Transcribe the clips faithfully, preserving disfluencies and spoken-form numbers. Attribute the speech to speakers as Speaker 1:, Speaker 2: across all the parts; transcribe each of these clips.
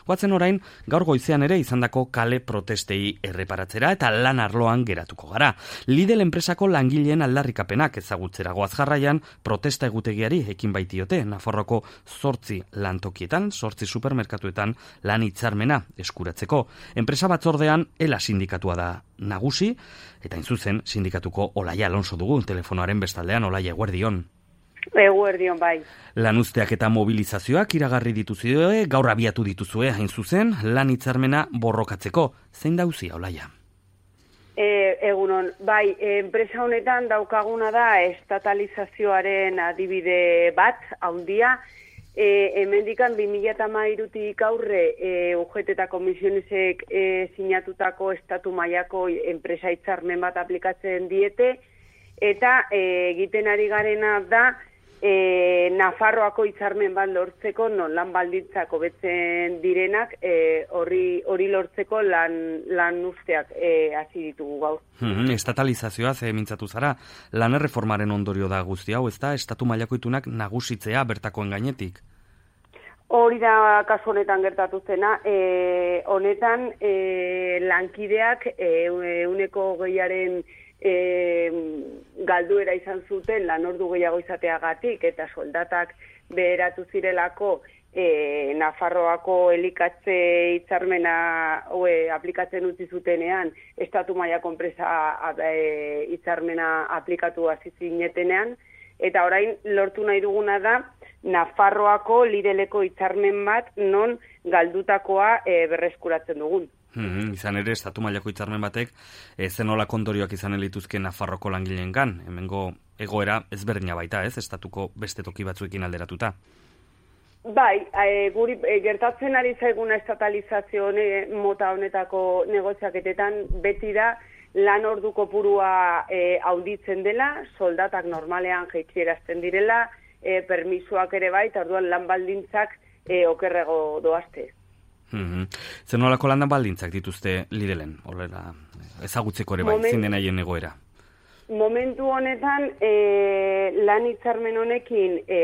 Speaker 1: Goatzen orain, gaur goizean ere izandako kale protestei erreparatzera eta lan arloan geratuko gara. Lidl enpresako langileen aldarrikapenak ezagutzera goaz jarraian protesta egutegiari ekin baitiote Nafarroako zortzi lantokietan, zortzi supermerkatuetan lan hitzarmena eskuratzeko. Enpresa batzordean ELA sindikatua da nagusi, eta inzuzen sindikatuko Olaia Alonso dugu telefonoaren bestaldean. Olaia, eguerdion.
Speaker 2: Eguerdion, bai.
Speaker 1: Lanuzteak eta mobilizazioak iragarri dituzue, gaur abiatu dituzue, hain zuzen, lan hitzarmena borrokatzeko. Zein da auzia, Olaia?
Speaker 2: E, egunon, bai, enpresa honetan daukaguna da estatalizazioaren adibide bat, handia. E, hemendikan bi mila hamairutik aurre e, U G T eta komisionisek e, sinatutako estatu mailako enpresa hitzarmen bat aplikatzen diete, eta e, egiten ari garena da e, Nafarroako hitzarmen bat lortzeko, non lan baldintzak hobetzen direnak, e, hori hori lortzeko lan, lan usteak e, hasi ditugu gaur.
Speaker 1: Hmm, estatalizazioa ze mintzatu zara, lan erreformaren ondorio da guzti hau, ez da, estatu mailako itunak nagusitzea bertakoen gainetik?
Speaker 2: Hori da kasu honetan gertatu zena, e, honetan e, lankideak ehuneko hogeiaren e, galduera izan zuten lan ordu gehiago izateagatik eta soldatak beheratu zirelako e, Nafarroako elikatze hitzarmena e, aplikatzen utzi zutenean, estatu mailako enpresa e, hitzarmena aplikatu hasi zinetenean, eta orain lortu nahi duguna da Nafarroako Lidleko hitzarmen bat non galdutakoa e, berreskuratzen dugun.
Speaker 1: Hmm, izan ere, estatu mailako hitzarmen batek e, zenolako ondorioak izan lituzke Nafarroko langileengan. Hemengo egoera ezberdina baita, ez? Estatuko beste toki batzuekin alderatuta.
Speaker 2: Bai, e, guri e, gertatzen ari zaiguna estatalizazio hone, mota honetako negoziaketetan beti da lan ordu kopurua e, hauditzen dela, soldatak normalean jaitsierazten direla, E, permisuak ere bai, eta orduan lan baldintzak e, okerrego doazte.
Speaker 1: Mm-hmm. Zer nolako lan baldintzak dituzte Lidlen, horrela ezagutzeko ere bai, Moment, zein denaien egoera?
Speaker 2: Momentu honetan, e, lan hitzarmen honekin e,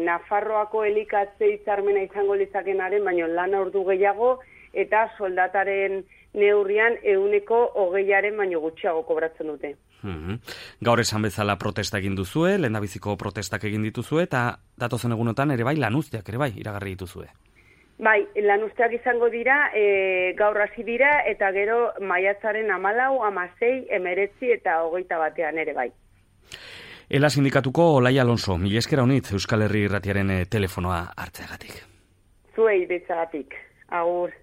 Speaker 2: Nafarroako elikatze hitzarmena izango litzakenaren, baina lan ordu gehiago, eta soldataren neurrian ehuneko hogeiaren baino gutxiago kobratzen dute.
Speaker 1: Mm-hmm. Gaur esan bezala protesta egin duzue, lehendabiziko protestak egin dituzue, eta datozen egunotan ere bai lanuzteak ere bai iragarri dituzue.
Speaker 2: Bai, lanuzteak izango dira, e, gaur hasi dira, eta gero maiatzaren hamalau, hamasei, hemeretzi eta hogeita batean ere bai.
Speaker 1: ELA sindikatuko Olaia Alonso, mila esker honitz Euskal Herri Irratiaren telefonoa hartzeagatik.
Speaker 2: Zuei betzagatik, agur.